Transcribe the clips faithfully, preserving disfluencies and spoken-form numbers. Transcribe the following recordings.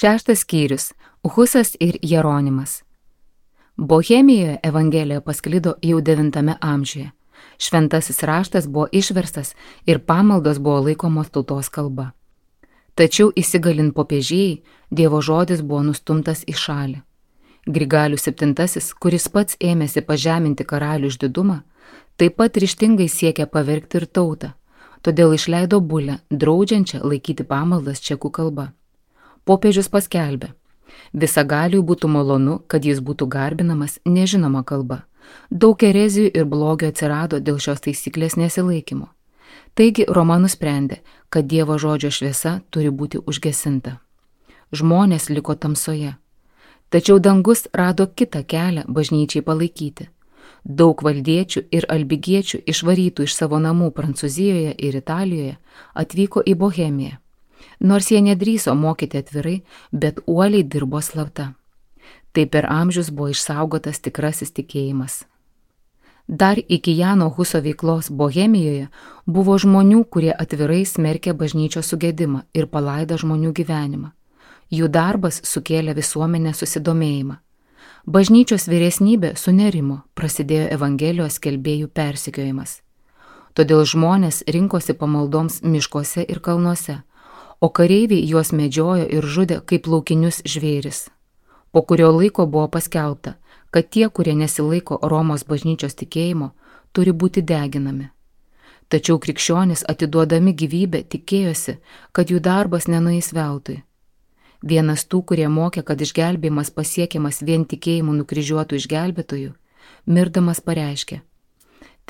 Šeštas skyrius – Husas ir Jeronimas. Bohemijoje Evangelija pasklido jau devintame amžiuje. Šventasis raštas buvo išverstas ir pamaldos buvo laikomos tautos kalba. Tačiau įsigalint popiežėjai, Dievo žodis buvo nustumtas į šalį. Grigalius septintasis, kuris pats ėmėsi pažeminti karalių išdidumą, taip pat ryžtingai siekė pavergti ir tautą, todėl išleido bulę, draudžiančią laikyti pamaldas čekų kalba. Popiežius paskelbė: visagaliui būtų malonu, kad jis būtų garbinamas nežinoma kalba. Daug erezijų ir blogio atsirado dėl šios taisyklės nesilaikymo. Taigi Roma nusprendė, kad Dievo žodžio šviesa turi būti užgesinta. Žmonės liko tamsoje. Tačiau dangus rado kitą kelią bažnyčiai palaikyti. Daug valdiečių ir albigiečių išvarytų iš savo namų Prancūzijoje ir Italijoje atvyko į Bohemiją. Nors jie nedrįso mokyti atvirai, bet uoliai dirbo slapta. Tai per amžius buvo išsaugotas tikrasis tikėjimas. Dar iki Jano Huso veiklos Bohemijoje buvo žmonių, kurie atvirai smerkė bažnyčios sugedimą ir palaidą žmonių gyvenimą. Jų darbas sukėlė visuomenę susidomėjimą. Bažnyčios vyresnybė sunerimo, prasidėjo Evangelijos skelbėjų persekiojimas. Todėl žmonės rinkosi pamaldoms miškuose ir kalnuose, o kareiviai juos medžiojo ir žudė kaip laukinius žvėris. Po kurio laiko buvo paskelbta, kad tie, kurie nesilaiko Romos bažnyčios tikėjimo, turi būti deginami. Tačiau krikščionys atiduodami gyvybę tikėjosi, kad jų darbas nenueis veltui. Vienas tų, kurie mokė, kad išgelbėjimas pasiekiamas vien tikėjimu nukryžiuotų išgelbėtojų, mirdamas pareiškė: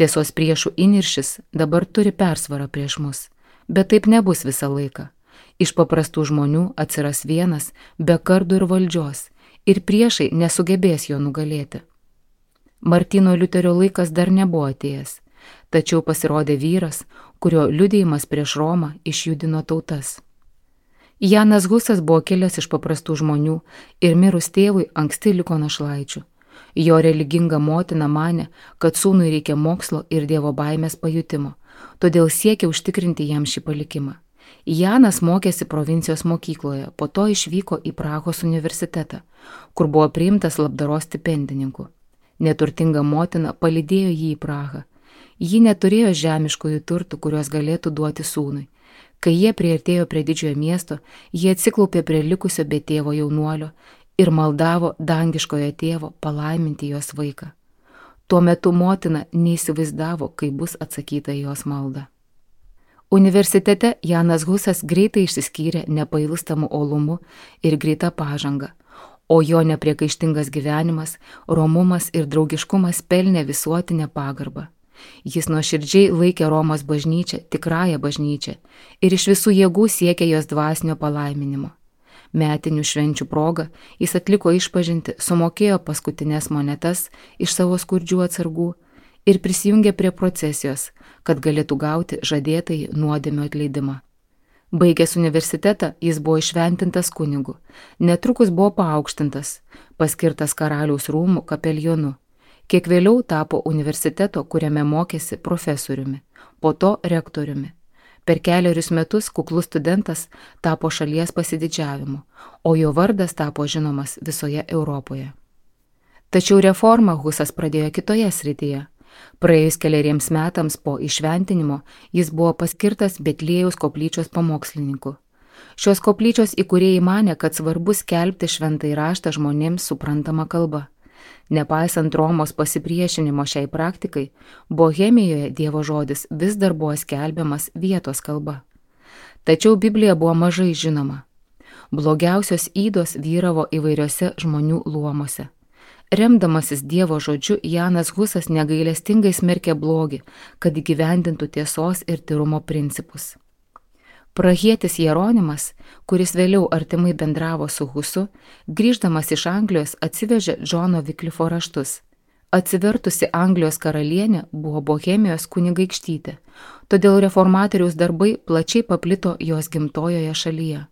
tiesos priešų įniršis dabar turi persvarą prieš mus, bet taip nebus visą laiką. Iš paprastų žmonių atsiras vienas be kardų ir valdžios, ir priešai nesugebės jo nugalėti. Martyno Liuterio laikas dar nebuvo atėjęs, tačiau pasirodė vyras, kurio liudijimas prieš Romą išjudino tautas. Janas Husas buvo kilęs iš paprastų žmonių ir mirus tėvui anksti liko našlaičių. Jo religinga motina manė, kad sūnui reikia mokslo ir Dievo baimės pajutimo, todėl siekė užtikrinti jam šį palikimą. Janas mokėsi provincijos mokykloje, po to išvyko į Prahos universitetą, kur buvo priimtas labdaros stipendininku. Neturtinga motina palydėjo jį į Prahą. Ji neturėjo žemiškųjų turtų, kuriuos galėtų duoti sūnui. Kai jie priartėjo prie didžiojo miesto, jie atsiklaupė prie likusio be tėvo jaunuolio ir maldavo dangiškojo tėvo palaiminti jos vaiką. Tuo metu motina neįsivaizdavo, kaip bus atsakyta į jos maldą. Universitete Janas Husas greitai išsiskyrė nepailstamu uolumu ir greita pažanga, o jo nepriekaištingas gyvenimas, romumas ir draugiškumas pelnė visuotinę pagarbą. Jis nuoširdžiai laikė Romos bažnyčią tikrąją bažnyčią ir iš visų jėgų siekė jos dvasinio palaiminimo. Metinių švenčių proga jis atliko išpažintį, sumokėjo paskutinės monetas iš savo skurdžių atsargų ir prisijungė prie procesijos, kad galėtų gauti žadėtąjį nuodėmių atleidimą. Baigęs universitetą, jis buvo išventintas kunigu, netrukus buvo paaukštintas, paskirtas karaliaus rūmų kapelionu. Kiek vėliau tapo universiteto, kuriame mokėsi, profesoriumi, po to rektoriumi. Per keliarius metus kuklus studentas tapo šalies pasididžiavimu, o jo vardas tapo žinomas visoje Europoje. Tačiau reformą Husas pradėjo kitoje srityje. Praėjus keleriems metams po išventinimo jis buvo paskirtas Betliejaus koplyčios pamokslininku. Šios koplyčios įkūrėjai manė, kad svarbu skelbti šventąjį raštą žmonėms suprantama kalba. Nepaisant Romos pasipriešinimo šiai praktikai, Bohemijoje Dievo žodis vis dar buvo skelbiamas vietos kalba. Tačiau Biblija buvo mažai žinoma. Blogiausios ydos vyravo įvairiose žmonių luomuose. Remdamasis Dievo žodžiu, Janas Husas negailestingai smerkė blogį, kad įgyvendintų tiesos ir tyrumo principus. Prahietis Jeronimas, kuris vėliau artimai bendravo su Husu, grįždamas iš Anglijos atsivežė Džono Viklifo raštus. Atsivertusi Anglijos karalienė buvo Bohemijos kunigaikštytė, todėl reformatoriaus darbai plačiai paplito jos gimtojoje šalyje.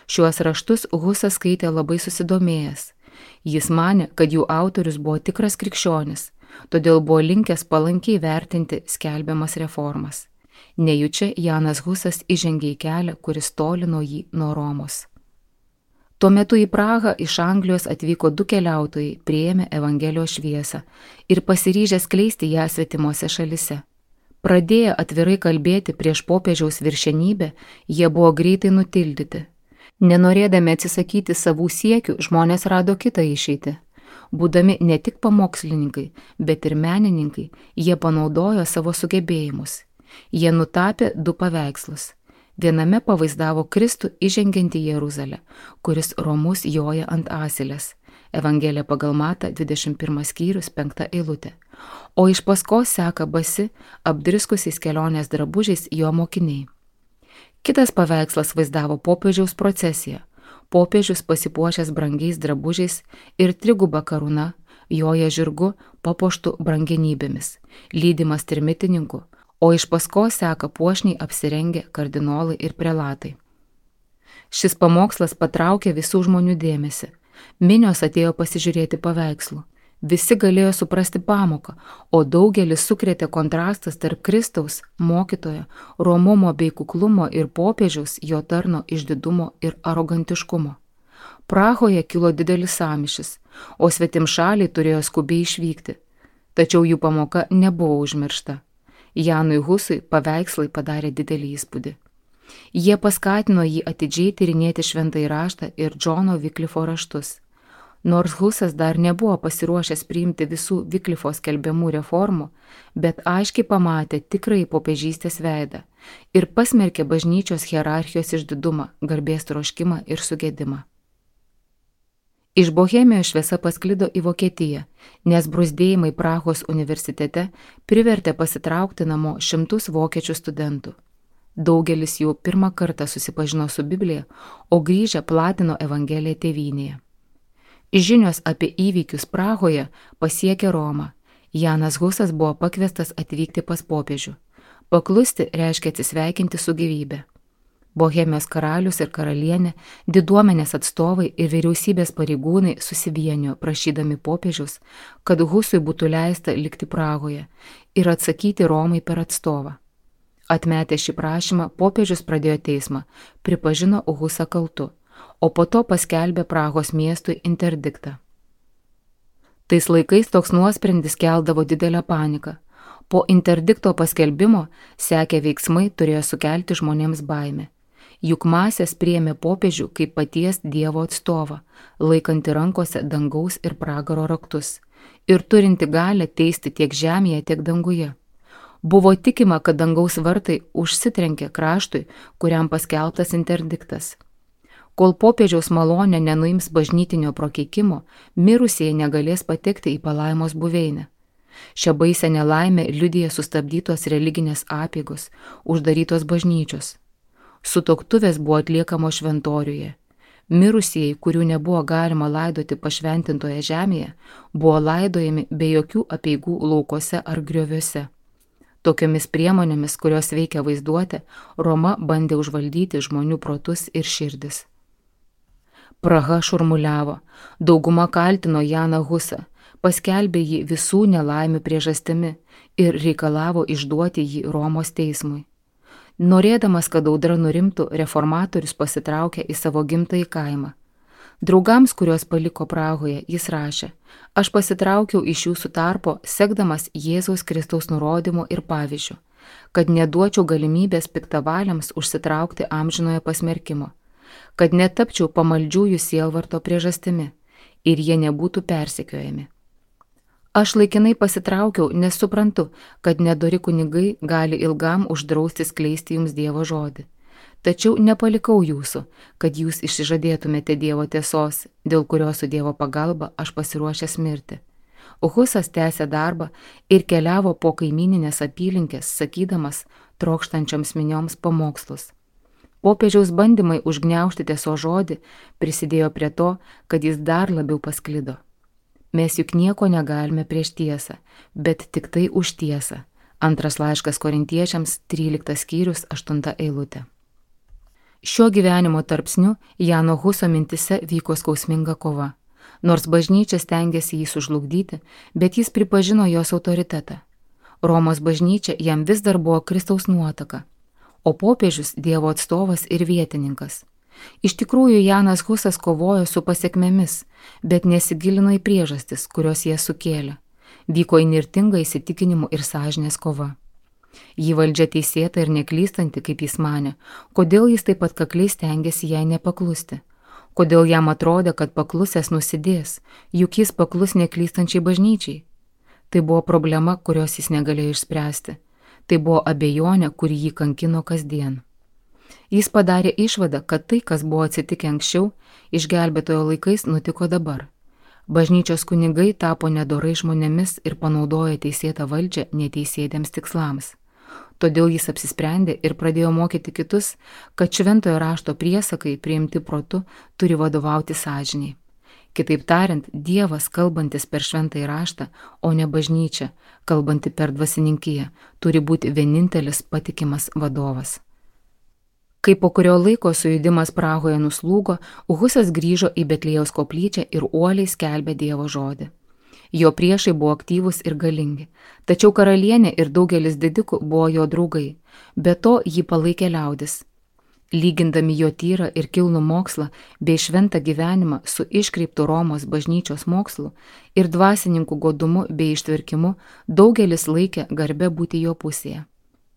Šiuos raštus Husas skaitė labai susidomėjęs. Jis manė, kad jų autorius buvo tikras krikščionis, todėl buvo linkęs palankiai vertinti skelbiamas reformas. Nejučia Janas Husas įžengė į kelią, kuris tolino jį nuo Romos. Tuo metu į Prahą iš Anglijos atvyko du keliautojai, priėmė Evangelijos šviesą ir pasiryžę skleisti ją svetimose šalise. Pradėję atvirai kalbėti prieš popiežiaus viršenybę, jie buvo greitai nutildyti. Nenorėdami atsisakyti savų siekių, žmonės rado kitą išeitį. Būdami ne tik pamokslininkai, bet ir menininkai, jie panaudojo savo sugebėjimus. Jie nutapė du paveikslus. Viename pavaizdavo Kristų įžengiantį į Jeruzalę, kuris romus joja ant asilės. Evangelija pagal Matą, dvidešimt pirmas skyrius, penkta eilutė. O iš paskos seka basi, apdriskusiais kelionės drabužiais jo mokiniai. Kitas paveikslas vaizdavo popiežiaus procesiją. Popiežius pasipuošęs brangiais drabužiais ir triguba karūna, joja žirgu papuoštų brangenybėmis, lydimas trimitininkų, o iš paskos seka puošniai apsirengę kardinolai ir prelatai. Šis pamokslas patraukė visų žmonių dėmesį. Minios atėjo pasižiūrėti paveikslų. Visi galėjo suprasti pamoką, o daugelis sukrėtė kontrastas tarp Kristaus, mokytojo, romumo bei kuklumo ir popiežiaus, jo tarno išdidumo ir arogantiškumo. Prahoje kilo didelis sąmyšis, o svetimšaliai turėjo skubiai išvykti. Tačiau jų pamoka nebuvo užmiršta. Janui Husui paveikslai padarė didelį įspūdį. Jie paskatino jį atidžiai tyrinėti šventąjį raštą ir Džono Viklifo raštus. Nors Husas dar nebuvo pasiruošęs priimti visų Viklifo skelbiamų reformų, bet aiškiai pamatė tikrai popiežystės veidą ir pasmerkė bažnyčios hierarchijos išdidumą, garbės troškimą ir sugėdimą. Iš Bohemijos šviesa pasklido į Vokietiją, nes bruzdėjimai Prahos universitete privertė pasitraukti namo šimtus vokiečių studentų. Daugelis jų pirmą kartą susipažino su Biblija, o grįžę platino Evangeliją tėvynėje. Žinios apie įvykius Prahoje pasiekė Romą. Janas Husas buvo pakviestas atvykti pas popiežių. Paklusti reiškia atsisveikinti su gyvybe. Bohemijos karalius ir karalienė, diduomenės atstovai ir vyriausybės pareigūnai susivienijo prašydami popiežiaus, kad Husui būtų leista likti Prahoje ir atsakyti Romai per atstovą. Atmetę šį prašymą, popiežius pradėjo teismą, pripažino Husą kaltu, o po to paskelbė Prahos miestui interdiktą. Tais laikais toks nuosprendis keldavo didelę paniką. Po interdikto paskelbimo sekę veiksmai turėjo sukelti žmonėms baimę. Juk masės priėmė popiežių kaip paties Dievo atstovą, laikanti rankose dangaus ir pragaro raktus ir turinti galę teisti tiek žemėje, tiek danguje. Buvo tikima, kad dangaus vartai užsitrenkė kraštui, kuriam paskelbtas interdiktas. Kol popiežiaus malonė nenuims bažnytinio prakeikimo, mirusieji negalės patekti į palaimos buveinę. Šią baisę nelaimę liudija sustabdytos religinės apeigos, uždarytos bažnyčios. Sutuoktuvės buvo atliekamos šventoriuje. Mirusieji, kurių nebuvo galima laidoti pašventintoje žemėje, buvo laidojami be jokių apeigų laukuose ar grioviuose. Tokiomis priemonėmis, kurios veikia vaizduotę, Roma bandė užvaldyti žmonių protus ir širdis. Praha šurmuliavo, dauguma kaltino Janą Husą, paskelbė jį visų nelaimių priežastimi ir reikalavo išduoti jį Romos teismui. Norėdamas, kad audra nurimtų, reformatorius pasitraukė į savo gimtąjį kaimą. Draugams, kuriuos paliko Prahoje, jis rašė: aš pasitraukiau iš jūsų tarpo, sekdamas Jėzaus Kristaus nurodymu ir pavyzdžiu, kad neduočiau galimybės piktavaliams užsitraukti amžinojo pasmerkimo, kad netapčiau pamaldžiųjų sielvarto priežastimi ir jie nebūtų persekiojami. Aš laikinai pasitraukiau, nes suprantu, kad nedori kunigai gali ilgam uždrausti skleisti jums Dievo žodį. Tačiau nepalikau jūsų, kad jūs išsižadėtumėte Dievo tiesos, dėl kurios su Dievo pagalba aš pasiruošęs mirti. Husas tęsė darbą ir keliavo po kaimyninės apylinkės, sakydamas trokštančioms minioms pamokslus. Popiežiaus bandymai užgniaužti tiesos žodį prisidėjo prie to, kad jis dar labiau pasklido. Mes juk nieko negalime prieš tiesą, bet tik tai už tiesą. Antras laiškas Korintiečiams, tryliktas skyrius, aštunta eilutė. Šiuo gyvenimo tarpsniu Jano Huso mintise vyko skausminga kova. Nors bažnyčia stengėsi jį sužlugdyti, bet jis pripažino jos autoritetą. Romos bažnyčia jam vis dar buvo Kristaus nuotaka, o popiežius Dievo atstovas ir vietininkas. Iš tikrųjų, Janas Husas kovojo su pasiekmėmis, bet nesigilino į priežastis, kurios jie sukėlė. Vyko įnirtinga įsitikinimų ir sąžinės kova. Jį valdžia teisėta ir neklystanti, kaip jis manė, kodėl jis taip atkakliai stengiasi jai nepaklusti. Kodėl jam atrodė, kad paklusęs nusidės, juk jis paklus neklystančiai bažnyčiai. Tai buvo problema, kurios jis negalėjo išspręsti. Tai buvo abejonė, kuri jį kankino kasdien. Jis padarė išvadą, kad tai, kas buvo atsitikę anksčiau, išgelbėtojo laikais nutiko dabar. Bažnyčios kunigai tapo nedorai žmonėmis ir panaudojo teisėtą valdžią neteisėtiems tikslams. Todėl jis apsisprendė ir pradėjo mokyti kitus, kad šventojo rašto priesakai priimti protu turi vadovauti sąžiniai. Kitaip tariant, Dievas, kalbantis per šventąjį raštą, o ne bažnyčia, kalbanti per dvasininkiją, turi būti vienintelis patikimas vadovas. Kai po kurio laiko sujudimas Prahoje nuslūgo, Husas grįžo į Betliejaus koplyčią ir uoliai skelbė Dievo žodį. Jo priešai buvo aktyvūs ir galingi, tačiau karalienė ir daugelis didikų buvo jo draugai, be to jį palaikė liaudis. Lygindami jo tyrą ir kilnų mokslą bei šventą gyvenimą su iškreiptu Romos bažnyčios mokslu ir dvasininkų godumu bei ištverkimu, daugelis laikė garbę būti jo pusėje.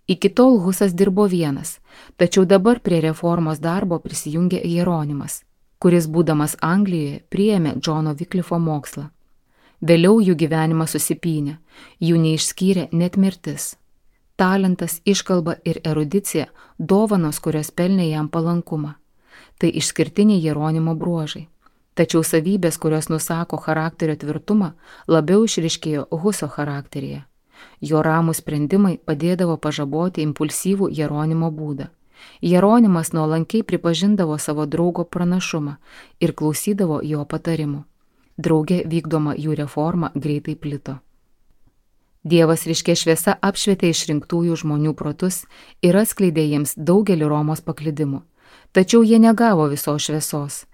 Iki tol Husas dirbo vienas, tačiau dabar prie reformos darbo prisijungė Jeronimas, kuris būdamas Anglijoje priėmė Džono Viklifo mokslą. Vėliau jų gyvenimas susipynė, jų neišskyrė net mirtis. Talentas, iškalba ir erudicija – dovanos, kurios pelnė jam palankumą. Tai išskirtiniai Jeronimo bruožai. Tačiau savybės, kurios nusako charakterio tvirtumą, labiau išryškėjo Huso charakteryje. Jo ramūs sprendimai padėdavo pažaboti impulsyvų Jeronimo būdą. Jeronimas nuolankiai pripažindavo savo draugo pranašumą ir klausydavo jo patarimų. Drauge vykdoma jų reforma greitai plito. Dievas ryškia šviesa apšvietė išrinktųjų žmonių protus ir atskleidė jiems daugelį Romos paklydimų. Tačiau jie negavo visos šviesos,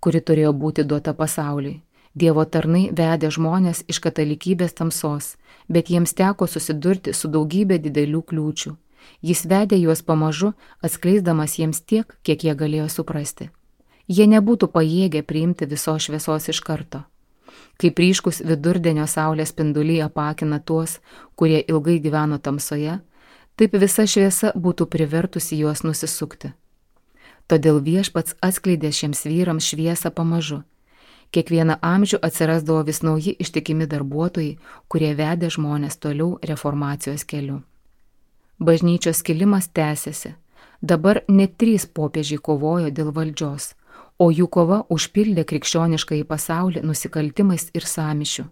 kuri turėjo būti duota pasauliui. Dievo tarnai vedė žmonės iš katalikybės tamsos, bet jiems teko susidurti su daugybė didelių kliūčių. Jis vedė juos pamažu, atskleisdamas jiems tiek, kiek jie galėjo suprasti. Jie nebūtų pajėgę priimti visos šviesos iš karto. Kaip ryškus vidurdienio saulės spinduliai apakina tuos, kurie ilgai gyveno tamsoje, taip visa šviesa būtų privertusi juos nusisukti. Todėl Viešpats atskleidė šiems vyrams šviesą pamažu. Kiekvieną amžių atsirasdavo vis nauji ištikimi darbuotojai, kurie vedė žmonės toliau reformacijos keliu. Bažnyčios skilimas tęsiasi. Dabar net trys popiežiai kovojo dėl valdžios, o jų kova užpildė krikščioniškąjį pasaulį nusikaltimais ir sąmyšiu.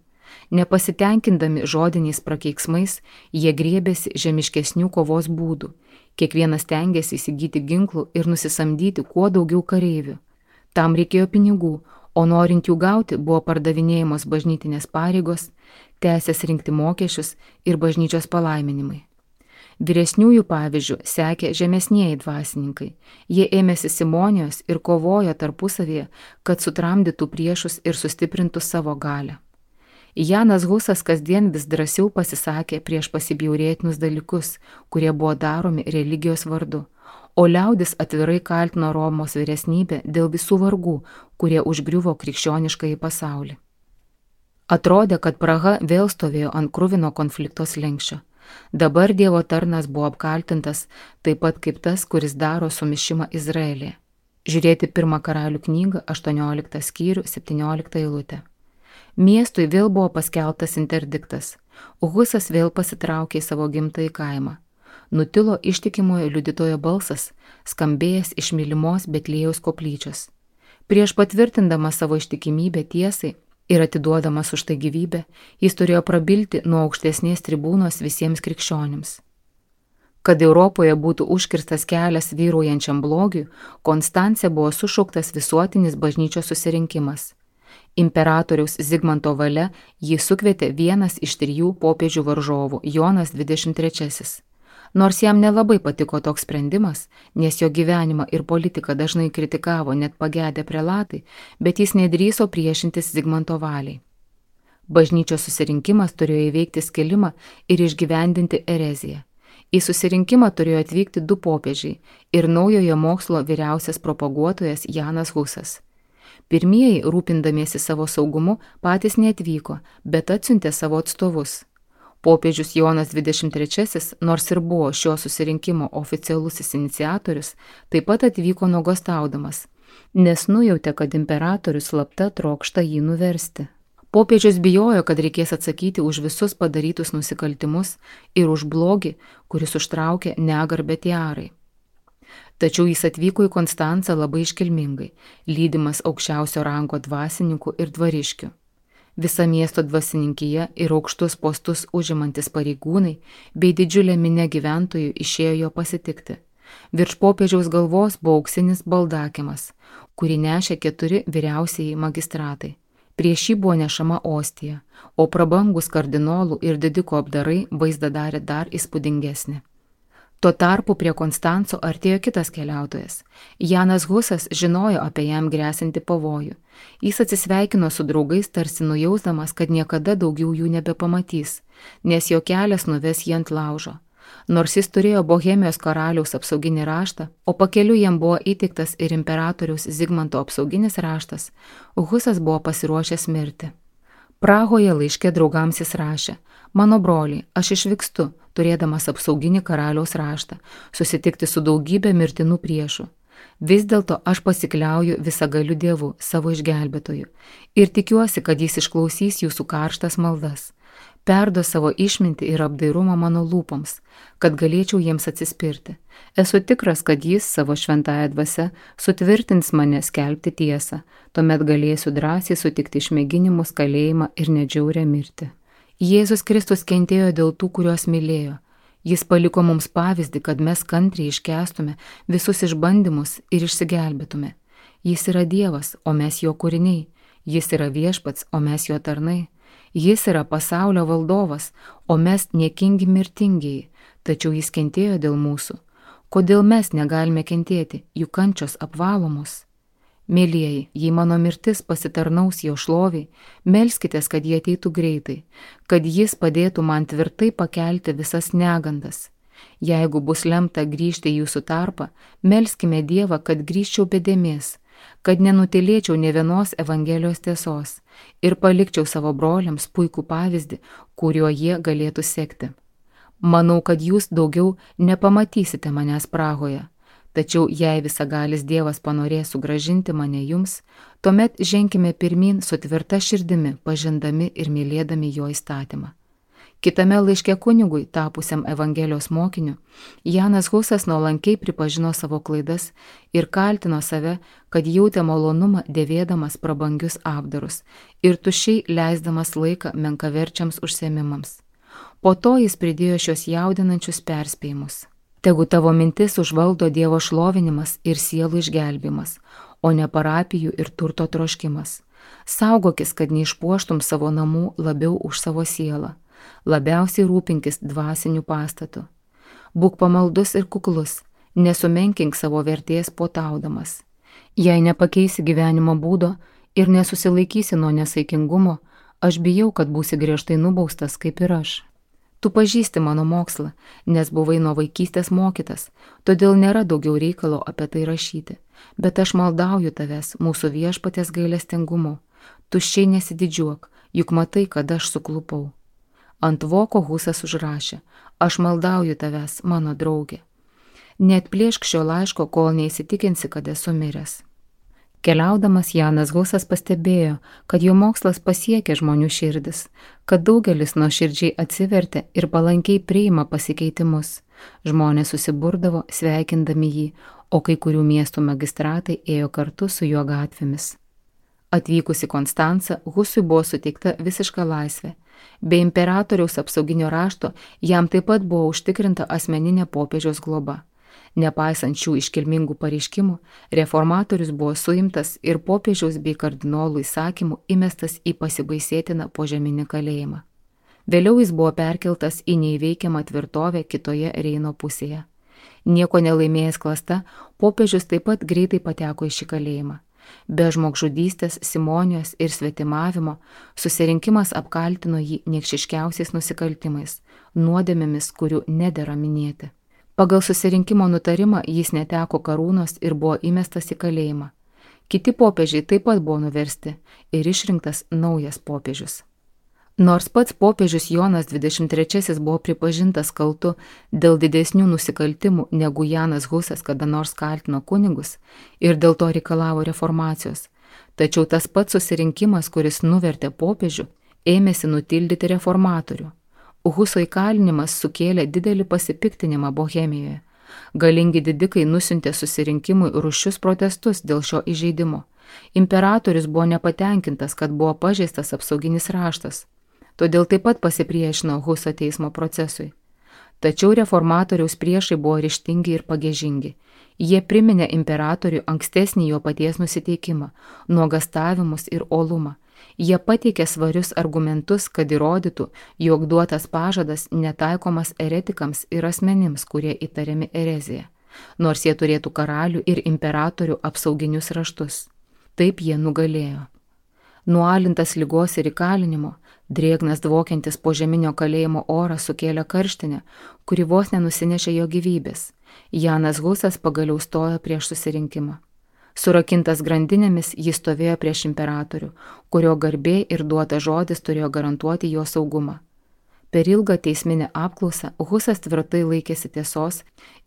Nepasitenkindami žodiniais prakeiksmais, jie griebėsi žemiškesnių kovos būdų. Kiekvienas stengėsi įsigyti ginklų ir nusisamdyti kuo daugiau kareivių. Tam reikėjo pinigų, o norint jų gauti buvo pardavinėjamos bažnytinės pareigos, teisės rinkti mokesčius ir bažnyčios palaiminimai. Vyresniųjų pavyzdžių sekė žemesnieji dvasininkai. Jie ėmėsi simonijos ir kovojo tarpusavėje, kad sutramdytų priešus ir sustiprintų savo galią. Janas Husas kasdien vis drąsiau pasisakė prieš pasibjaurėtinus dalykus, kurie buvo daromi religijos vardu, o liaudis atvirai kaltino Romos vyresnybę dėl visų vargų, kurie užgriuvo krikščioniškąjį pasaulį. Atrodė, kad Praha vėl stovėjo ant kruvino konflikto slenksčio. Dabar Dievo tarnas buvo apkaltintas, taip pat kaip tas, kuris daro sumišimą Izraelyje. Žiūrėti pirmą karalių knygą, aštuonioliktą skyrių, septynioliktą eilutę. Miestui vėl buvo paskelbtas interdiktas. Husas vėl pasitraukė į savo gimtąjį kaimą. Nutilo ištikimojo liudytojo balsas, skambėjęs iš mylimos Betliejaus koplyčios. Prieš patvirtindamas savo ištikimybę tiesai ir atiduodamas už tai gyvybę, jis turėjo prabilti nuo aukštesnės tribūnos visiems krikščionims. Kad Europoje būtų užkirstas kelias vyraujančiam blogiui, Konstance buvo sušauktas visuotinis bažnyčios susirinkimas. Imperatoriaus Zigmanto valia jį sukvietė vienas iš trijų popiežių varžovų, Jonas dvidešimt trečiasis. Nors jam nelabai patiko toks sprendimas, nes jo gyvenimą ir politiką dažnai kritikavo net pagedę prelatai, bet jis nedrįso priešintis Zigmanto valiai. Bažnyčios susirinkimas turėjo įveikti skilimą ir išgyvendinti ereziją. Į susirinkimą turėjo atvykti du popiežiai ir naujojo mokslo vyriausias propaguotojas Janas Husas. Pirmieji, rūpindamiesi savo saugumu, patys neatvyko, bet atsiuntė savo atstovus. Popiežius Jonas dvidešimt trečiasis, nors ir buvo šio susirinkimo oficialusis iniciatorius, taip pat atvyko nuogąstaudamas, nes nujautė, kad imperatorius slapta trokšta jį nuversti. Popiežius bijojo, kad reikės atsakyti už visus padarytus nusikaltimus ir už blogį, kuris užtraukė negarbę tiarai. Tačiau jis atvyko į Konstancą labai iškilmingai, lydimas aukščiausio rango dvasininkų ir dvariškių. Visa miesto dvasininkija ir aukštus postus užimantis pareigūnai bei didžiulė minia gyventojų išėjo jo pasitikti. Virš popiežiaus galvos buvo auksinis baldakimas, kurį nešė keturi vyriausieji magistratai. Prieš jį buvo nešama ostija, o prabangus kardinolų ir didikų apdarai vaizdą darė dar įspūdingesnį. Tuo tarpu prie Konstanco artėjo kitas keliautojas. Janas Husas žinojo apie jam grėsinti pavojų. Jis atsisveikino su draugais, tarsi nujausdamas, kad niekada daugiau jų nebepamatys, nes jo kelias nuves jį ant laužo. Nors jis turėjo Bohemijos karaliaus apsauginį raštą, o pakeliu jam buvo įteiktas ir imperatoriaus Zigmanto apsauginis raštas, Husas buvo pasiruošęs mirti. Prahoje laiške draugams jis rašė: mano broliai, aš išvykstu, turėdamas apsauginį karaliaus raštą, susitikti su daugybė mirtinų priešų. Vis dėlto aš pasikliauju visagaliu Dievu, savo išgelbėtoju, ir tikiuosi, kad jis išklausys jūsų karštas maldas. Perdo savo išmintį ir apdairumą mano lūpoms, kad galėčiau jiems atsispirti. Esu tikras, kad jis savo šventąją dvasią sutvirtins mane skelbti tiesą, tuomet galėsiu drąsiai sutikti išmėginimus, kalėjimą ir nedžiaurę mirtį. Jėzus Kristus kentėjo dėl tų, kuriuos mylėjo. Jis paliko mums pavyzdį, kad mes kantriai iškęstume visus išbandymus ir išsigelbėtume. Jis yra Dievas, o mes jo kūriniai. Jis yra viešpats, o mes jo tarnai. Jis yra pasaulio valdovas, o mes niekingi mirtingieji, tačiau jis kentėjo dėl mūsų. Kodėl mes negalime kentėti, juk kančios apvalo mus? Mėlieji, jei mano mirtis pasitarnaus jo šloviai, melskitės, kad jie ateitų greitai, kad jis padėtų man tvirtai pakelti visas negandas. Jeigu bus lemta grįžti į jūsų tarpą, melskime Dievą, kad grįžčiau be dėmės, kad nenutylėčiau nė vienos Evangelijos tiesos ir palikčiau savo broliams puikų pavyzdį, kuriuo jie galėtų sekti. Manau, kad jūs daugiau nepamatysite manęs Prahoje, tačiau jei visagalis Dievas panorės sugrąžinti mane jums, tuomet ženkime pirmyn su tvirta širdimi, pažindami ir mylėdami jo įstatymą. Kitame laiške kunigui, tapusiam Evangelijos mokiniu, Janas Husas nuolankiai pripažino savo klaidas ir kaltino save, kad jautė malonumą dėvėdamas prabangius apdarus ir tuščiai leisdamas laiką menkaverčiams užsiėmimams. Po to jis pridėjo šios jaudinančius perspėjimus. Tegu tavo mintis užvaldo Dievo šlovinimas ir sielų išgelbimas, o ne parapijų ir turto troškimas. Saugokis, kad neišpuoštum savo namų labiau už savo sielą. Labiausiai rūpinkis dvasinių pastatų. Būk pamaldus ir kuklus, nesumenkink savo vertės potaudamas. Jei nepakeisi gyvenimo būdo ir nesusilaikysi nuo nesaikingumo, aš bijau, kad būsi griežtai nubaustas kaip ir aš. Tu pažįsti mano mokslą, nes buvai nuo vaikystės mokytas, todėl nėra daugiau reikalo apie tai rašyti, bet aš maldauju tavęs mūsų viešpaties gailestingumu. Tuščiai nesididžiuok, juk matai, kad aš suklupau. Ant voko Husas užrašė: aš maldauju tavęs, mano draugė. Neatplėšk šio laiško, kol neįsitikinsi, kad esu miręs. Keliaudamas Janas Husas pastebėjo, kad jo mokslas pasiekė žmonių širdis, kad daugelis nuoširdžiai atsivertė ir palankiai priima pasikeitimus. Žmonės susiburdavo sveikindami jį, o kai kurių miestų magistratai ėjo kartu su juo gatvėmis. Atvykus į Konstancą, Husui buvo suteikta visiška laisvė. Be imperatoriaus apsauginio rašto jam taip pat buvo užtikrinta asmeninė popiežiaus globa. Nepaisant šių iškilmingų pareiškimų, reformatorius buvo suimtas ir popiežiaus bei kardinolų įsakymų įmestas į pasibaisėtiną požeminį kalėjimą. Vėliau jis buvo perkeltas į neįveikiamą tvirtovę kitoje Reino pusėje. Nieko nelaimėjęs klasta, popiežius taip pat greitai pateko į šį kalėjimą. Be žmogžudystės, simonijos ir svetimavimo susirinkimas apkaltino jį niekšiškiausiais nusikaltimais, nuodėmėmis, kurių nedera minėti. Pagal susirinkimo nutarimą jis neteko karūnos ir buvo įmestas į kalėjimą. Kiti popiežiai taip pat buvo nuversti ir išrinktas naujas popiežius. Nors pats popiežius Jonas dvidešimt trečiasis buvo pripažintas kaltu dėl didesnių nusikaltimų negu Janas Husas kada nors kaltino kunigus ir dėl to reikalavo reformacijos, tačiau tas pats susirinkimas, kuris nuvertė popiežių, ėmėsi nutildyti reformatorių. Huso įkalinimas sukėlė didelį pasipiktinimą Bohemijoje. Galingi didikai nusiuntė susirinkimui rūsčius protestus dėl šio įžeidimo. Imperatorius buvo nepatenkintas, kad buvo pažeistas apsauginis raštas. Todėl taip pat pasipriešino Huso teismo procesui. Tačiau reformatoriaus priešai buvo ryžtingi ir pagiežingi. Jie priminė imperatoriui ankstesnį jo paties nusiteikimą, nuogastavimus ir uolumą. Jie pateikė svarius argumentus, kad įrodytų, jog duotas pažadas netaikomas eretikams ir asmenims, kurie įtariami erezija, nors jie turėtų karalių ir imperatorių apsauginius raštus. Taip jie nugalėjo. Nualintas ligos ir įkalinimo, drėgnas dvokiantis požeminio kalėjimo oras sukėlė karštinę, kuri vos nenusinešė jo gyvybės. Janas Husas pagaliau stojo prieš susirinkimą. Surakintas grandinėmis jis stovėjo prieš imperatorių, kurio garbė ir duotas žodis turėjo garantuoti jo saugumą. Per ilgą teisminę apklausą Husas tvirtai laikėsi tiesos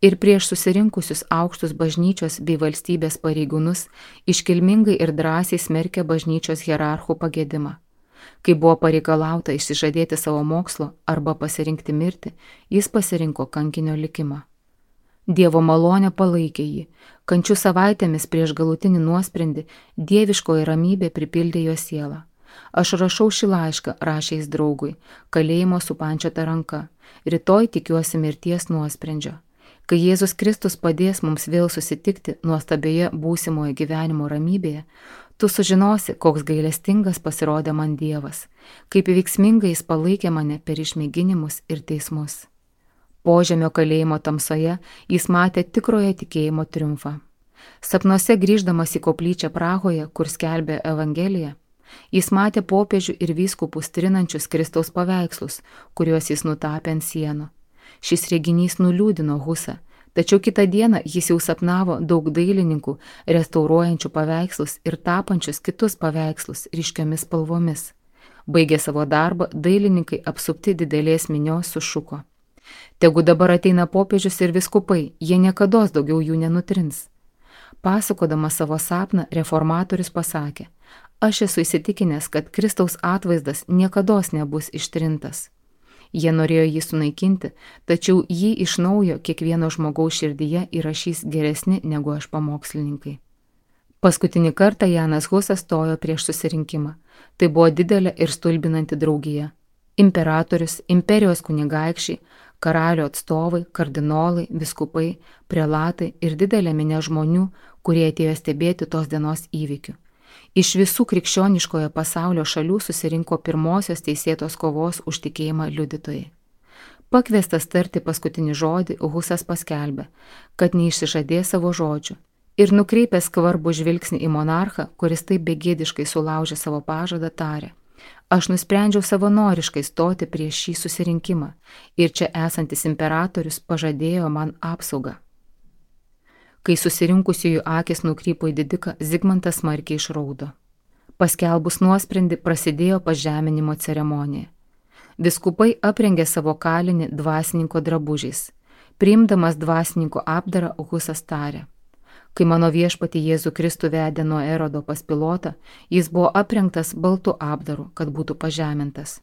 ir prieš susirinkusius aukštus bažnyčios bei valstybės pareigūnus iškilmingai ir drąsiai smerkė bažnyčios hierarchų pagėdimą. Kai buvo pareikalauta išsižadėti savo mokslo arba pasirinkti mirtį, jis pasirinko kankinio likimą. Dievo malonė palaikė jį, kančių savaitėmis prieš galutinį nuosprendį dieviškoji ramybė pripildė jo sielą. Aš rašau šį laišką, rašė jis draugui, kalėjimo supančiota ranka, rytoj tikiuosi mirties nuosprendžio. Kai Jėzus Kristus padės mums vėl susitikti nuostabioje būsimoje gyvenimo ramybėje, tu sužinosi, koks gailestingas pasirodė man Dievas, kaip veiksmingai jis palaikė mane per išmėginimus ir teismus. Požemio kalėjimo tamsoje jis matė tikrojo tikėjimo triumfą. Sapnuose grįždamas į koplyčią Prahoje, kur skelbė Evangeliją, jis matė popiežių ir vyskupus trinančius Kristaus paveikslus, kuriuos jis nutapė ant sienų. Šis reginys nuliūdino Husą, tačiau kitą dieną jis jau sapnavo daug dailininkų, restauruojančių paveikslus ir tapančius kitus paveikslus ryškiomis spalvomis. Baigę savo darbą, dailininkai apsupti didelės minios sušuko: Tegu dabar ateina popiežius ir viskupai, jie niekados daugiau jų nenutrins. Pasakodamas savo sapną, reformatorius pasakė: Aš esu įsitikinęs, kad Kristaus atvaizdas niekados nebus ištrintas. Jie norėjo jį sunaikinti, tačiau jį iš naujo kiekvieno žmogaus širdyje įrašys geresni negu aš pamokslininkai. Paskutinį kartą Janas Husas stojo prieš susirinkimą. Tai buvo didelė ir stulbinanti draugija. Imperatorius, imperijos kunigaikščiai, karalio atstovai, kardinolai, viskupai, prelatai ir didelė minia žmonių, kurie atėjo stebėti tos dienos įvykių. Iš visų krikščioniškojo pasaulio šalių susirinko pirmosios teisėtos kovos už tikėjimą liudytojai. Pakviestas tarti paskutinį žodį, Husas paskelbė, kad neišsižadės savo žodžių, ir nukreipęs skvarbų žvilgsnį į monarchą, kuris taip begėdiškai sulaužė savo pažadą, tarė: Aš nusprendžiau savanoriškai stoti prieš šį susirinkimą, ir čia esantis imperatorius pažadėjo man apsaugą. Kai susirinkusiųjų akis nukrypo į didiką, Zigmantas smarkiai išraudo. Paskelbus nuosprendį prasidėjo pažeminimo ceremonija. Viskupai aprengė savo kalinį dvasininko drabužiais. Priimdamas dvasininko apdarą, Husas tarė: Kai mano viešpatį Jėzų Kristų vedė nuo Erodo pas Pilotą, jis buvo aprengtas baltu apdaru, kad būtų pažemintas.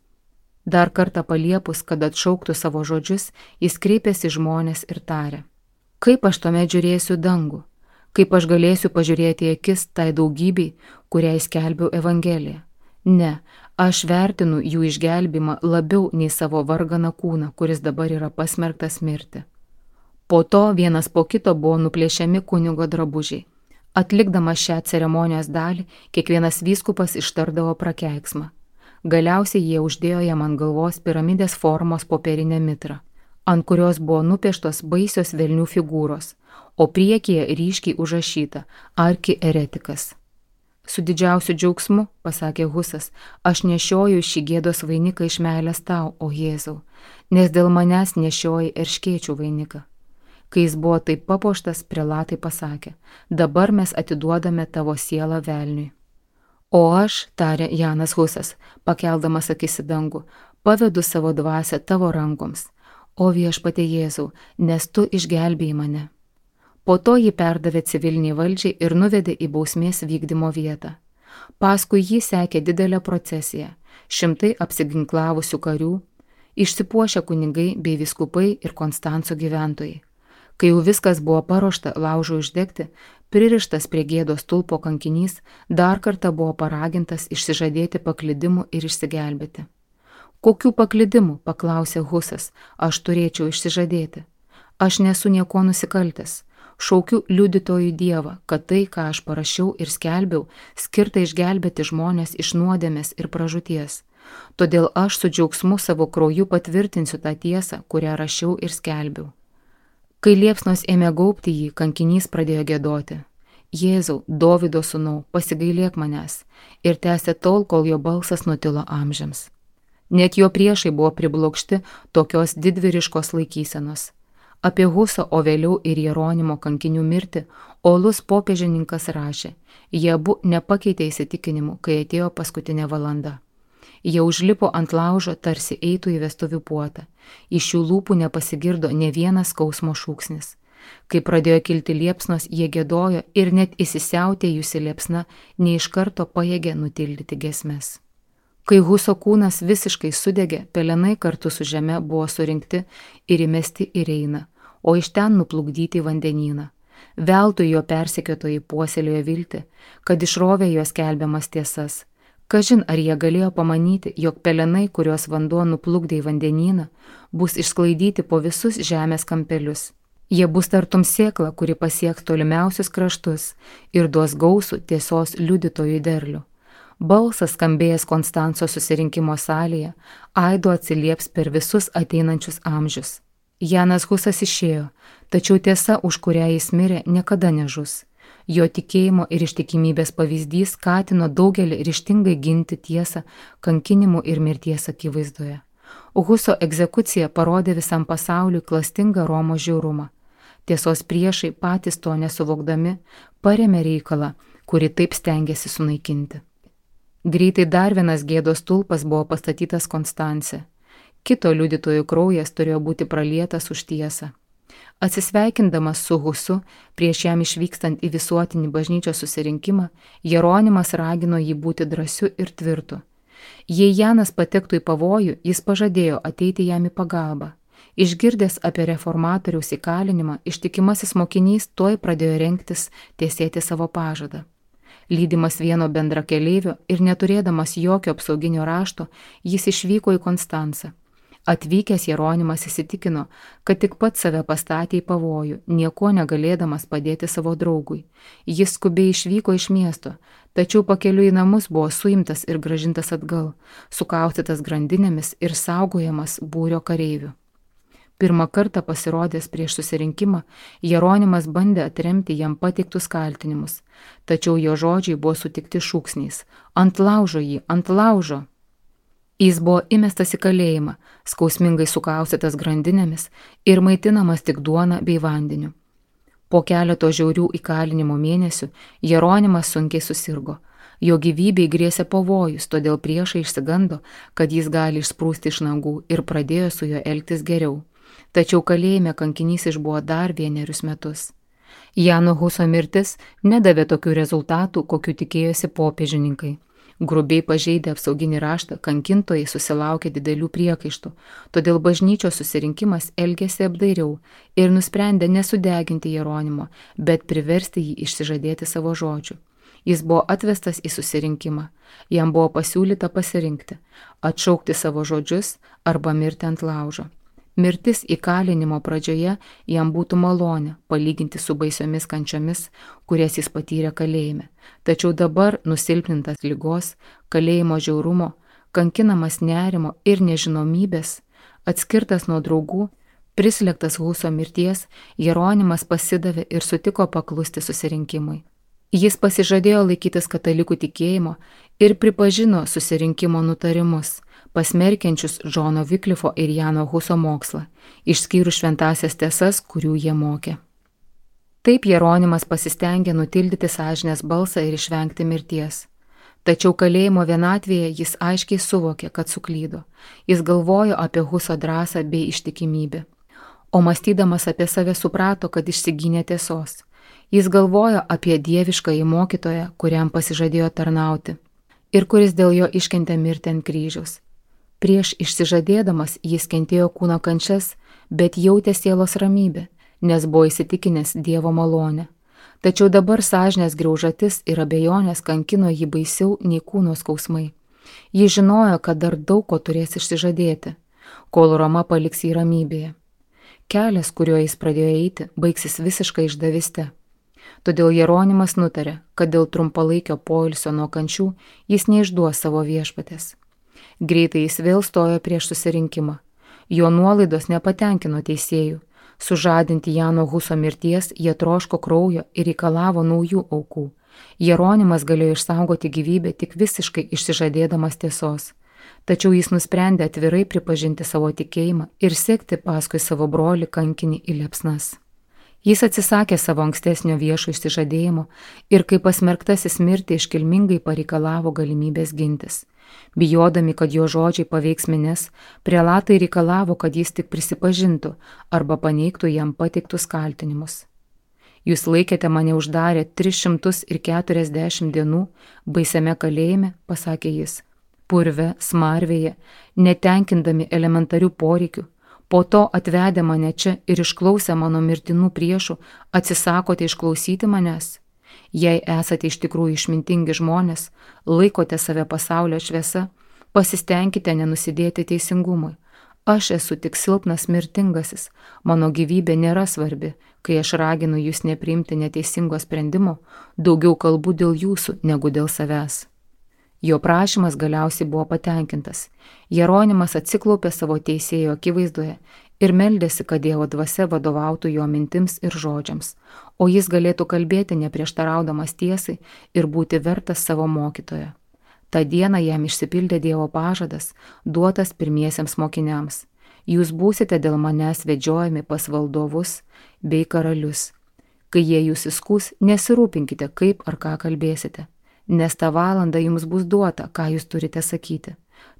Dar kartą paliepus, kad atšauktų savo žodžius, jis kreipėsi žmonės ir tarė: Kaip aš tuomet žiūrėsiu dangų? Kaip aš galėsiu pažiūrėti į akis tai daugybei, kuriai skelbiau Evangeliją? Ne, aš vertinu jų išgelbimą labiau nei savo varganą kūną, kuris dabar yra pasmerktas mirti. Po to vienas po kito buvo nuplėšiami kunigo drabužiai. Atlikdamas šią ceremonijos dalį, kiekvienas vyskupas ištardavo prakeiksmą. Galiausiai jie uždėjo jam ant galvos piramidės formos popierinę mitrą, ant kurios buvo nupieštos baisios velnių figūros, o priekyje ryškiai užrašyta: Arki eretikas. Su didžiausiu džiaugsmu, pasakė Husas, aš nešioju šį gėdos vainiką iš meilės tau, o Jėzau, nes dėl manęs nešioji erškėčių vainiką. Kai jis buvo taip papuoštas, prelatai pasakė, dabar mes atiduodame tavo sielą velniui. O aš, tarė Janas Husas, pakeldamas akis į dangų, pavedu savo dvasią tavo rankoms, o viešpatie Jėzau, nes tu išgelbėjai mane. Po to jį perdavė civiliniai valdžiai ir nuvedė į bausmės vykdymo vietą. Paskui jį sekė didelė procesija, šimtai apsiginklavusių karių, išsipuošę kunigai bei vyskupai ir Konstanco gyventojai. Kai jau viskas buvo paruošta laužui uždegti, pririštas prie gėdos stulpo kankinys dar kartą buvo paragintas išsižadėti paklydimų ir išsigelbėti. Kokių paklydimų, paklausė Husas, aš turėčiau išsižadėti? Aš nesu nieko nusikaltęs. Šaukiu liudytojų Dievą, kad tai, ką aš parašiau ir skelbiau, skirta išgelbėti žmonės iš nuodėmės ir pražūties. Todėl aš su džiaugsmu savo krauju patvirtinsiu tą tiesą, kurią rašiau ir skelbiau. Kai liepsnos ėmė gaubti jį, kankinys pradėjo giedoti. Jėzau, Dovydo sūnau, pasigailėk manęs, ir tęsė tol, kol jo balsas nutilo amžiams. Net jo priešai buvo priblokšti tokios didvyriškos laikysenos. Apie Huso, o vėliau ir Jeronimo kankinių mirtį, uolus popiežininkas rašė, jie abu nepakeitė įsitikinimų, kai atėjo paskutinė valanda. Jie užlipo ant laužo, tarsi eitų į vestuvių puotą. Iš jų lūpų nepasigirdo ne vienas skausmo šūksnis. Kai pradėjo kilti liepsnos, jie giedojo ir net įsisiautėjusi liepsna ne iš karto pajėgė nutildyti giesmes. Kai Huso kūnas visiškai sudegė, pelenai kartu su žeme buvo surinkti ir įmesti į Reiną, o iš ten nuplukdyti į vandenyną. Veltui jo persekiotojai puoselėjo viltį, kad išrovė jo skelbiamas tiesas. Kažin ar jie galėjo pamanyti, jog pelenai, kuriuos vanduo nuplukdė į vandenyną, bus išsklaidyti po visus žemės kampelius. Jie bus tartum sėkla, kuri pasieks tolimiausius kraštus ir duos gausų tiesos liudytojų derlių. Balsas skambėjęs Konstanco susirinkimo salėje, aidu atsilieps per visus ateinančius amžius. Janas Husas išėjo, tačiau tiesa, už kurią jis mirė, niekada nežus. Jo tikėjimo ir ištikimybės pavyzdys skatino daugelį ryžtingai ginti tiesą kankinimų ir mirties akivaizdoje. Huso egzekucija parodė visam pasauliui klastingą Romos žiaurumą. Tiesos priešai patys to nesuvokdami parėmė reikalą, kurį taip stengėsi sunaikinti. Greitai dar vienas gėdos stulpas buvo pastatytas Konstance. Kito liudytojų kraujas turėjo būti pralietas už tiesą. Atsisveikindamas su Husu, prieš jam išvykstant į visuotinį bažnyčios susirinkimą, Jeronimas ragino jį būti drąsiu ir tvirtu. Jei Janas patektų į pavojų, jis pažadėjo ateiti jam į pagalbą. Išgirdęs apie reformatoriaus įkalinimą, ištikimasis mokinys tuoj pradėjo rengtis tiesėti savo pažadą. Lydimas vieno bendrakeleivio ir neturėdamas jokio apsauginio rašto, jis išvyko į Konstancą. Atvykęs Jeronimas įsitikino, kad tik pats save pastatė į pavojų, nieko negalėdamas padėti savo draugui. Jis skubiai išvyko iš miesto, tačiau pakeliui į namus buvo suimtas ir grąžintas atgal, sukaustytas grandinėmis ir saugojamas būrio kareivių. Pirmą kartą pasirodęs prieš susirinkimą, Jeronimas bandė atremti jam pateiktus kaltinimus, tačiau jo žodžiai buvo sutikti šūksniais – ant laužo jį, ant laužo. Jis buvo įmestas į kalėjimą, skausmingai sukaustytas grandinėmis ir maitinamas tik duona bei vandeniu. Po keleto žiaurių įkalinimo mėnesių Jeronimas sunkiai susirgo. Jo gyvybei grėsė pavojus, todėl priešai išsigando, kad jis gali išsprūsti iš nagų ir pradėjo su juo elgtis geriau. Tačiau kalėjime kankinys išbuvo dar vienerius metus. Jano Huso mirtis nedavė tokių rezultatų, kokių tikėjosi popiežininkai. Grubiai pažeidę apsauginį raštą, kankintojai susilaukė didelių priekaištų, todėl bažnyčios susirinkimas elgėsi apdairiau ir nusprendė nesudeginti Jeronimo, bet priversti jį išsižadėti savo žodžių. Jis buvo atvestas į susirinkimą, jam buvo pasiūlyta pasirinkti, atšaukti savo žodžius arba mirti ant laužo. Mirtis įkalinimo pradžioje jam būtų malonė, palyginti su baisiomis kančiomis, kurias jis patyrė kalėjime. Tačiau dabar, nusilpnintas ligos, kalėjimo žiaurumo, kankinamas nerimo ir nežinomybės, atskirtas nuo draugų, prislėgtas Huso mirties, Jeronimas pasidavė ir sutiko paklusti susirinkimui. Jis pasižadėjo laikytis katalikų tikėjimo ir pripažino susirinkimo nutarimus, pasmerkiančius Džono Viklifo ir Jano Huso mokslą, išskyrus šventasias tiesas, kurių jie mokė. Taip Jeronimas pasistengė nutildyti sąžinės balsą ir išvengti mirties. Tačiau kalėjimo vienatvėje jis aiškiai suvokė, kad suklydo. Jis galvojo apie Huso drąsą bei ištikimybę. O mąstydamas apie save suprato, kad išsigynė tiesos. Jis galvojo apie dieviškąjį mokytoją, kuriam pasižadėjo tarnauti ir kuris dėl jo iškentė mirtį ant kryžiaus. Prieš išsižadėdamas jis kentėjo kūno kančias, bet jautė sielos ramybę, nes buvo įsitikinęs Dievo malonę. Tačiau dabar sąžinės griaužatis ir abejonės kankino jį baisiau nei kūno skausmai. Jis žinojo, kad dar daug ko turės išsižadėti, kol Roma paliks jį ramybėje. Kelias, kuriuo jis pradėjo eiti, baigsis visiškai išdavyste. Todėl Jeronimas nutarė, kad dėl trumpalaikio poilsio nuo kančių jis neišduos savo viešpatės. Greitai jis vėl stojo prieš susirinkimą. Jo nuolaidos nepatenkino teisėjų. Sužadinti Jano Huso mirties jie troško kraujo ir reikalavo naujų aukų. Jeronimas galėjo išsaugoti gyvybę tik visiškai išsižadėdamas tiesos. Tačiau jis nusprendė atvirai pripažinti savo tikėjimą ir sekti paskui savo brolį kankinį į liepsnas. Jis atsisakė savo ankstesnio viešo išsižadėjimo ir kaip pasmerktasis mirti iškilmingai pareikalavo galimybės gintis. Bijodami, kad jo žodžiai paveiks minias, prelatai reikalavo, kad jis tik prisipažintų arba paneigtų jam pateiktus kaltinimus. Jūs laikėte mane uždarę tris šimtus keturiasdešimt dienų baisiame kalėjime, pasakė jis, purve, smarvėje, netenkindami elementarių poreikių. Po to atvedę mane čia ir išklausę mano mirtinų priešų, atsisakote išklausyti manęs. Jei esate iš tikrųjų išmintingi žmonės, laikote save pasaulio šviesa, pasistengkite nenusidėti teisingumui. Aš esu tik silpnas mirtingasis, mano gyvybė nėra svarbi, kai aš raginu jūs nepriimti neteisingo sprendimo, daugiau kalbu dėl jūsų negu dėl savęs. Jo prašymas galiausiai buvo patenkintas. Jeronimas atsiklaupė savo teisėjo akivaizdoje ir meldėsi, kad Dievo dvasia vadovautų jo mintims ir žodžiams, o jis galėtų kalbėti neprieštaraudamas tiesai ir būti vertas savo mokytojo. Ta diena jam išsipildė Dievo pažadas, duotas pirmiesiems mokiniams. Jūs būsite dėl manęs vedžiojami pas valdovus bei karalius. Kai jie jūs įskūs, nesirūpinkite, kaip ar ką kalbėsite, nes tą valandą jums bus duota, ką jūs turite sakyti.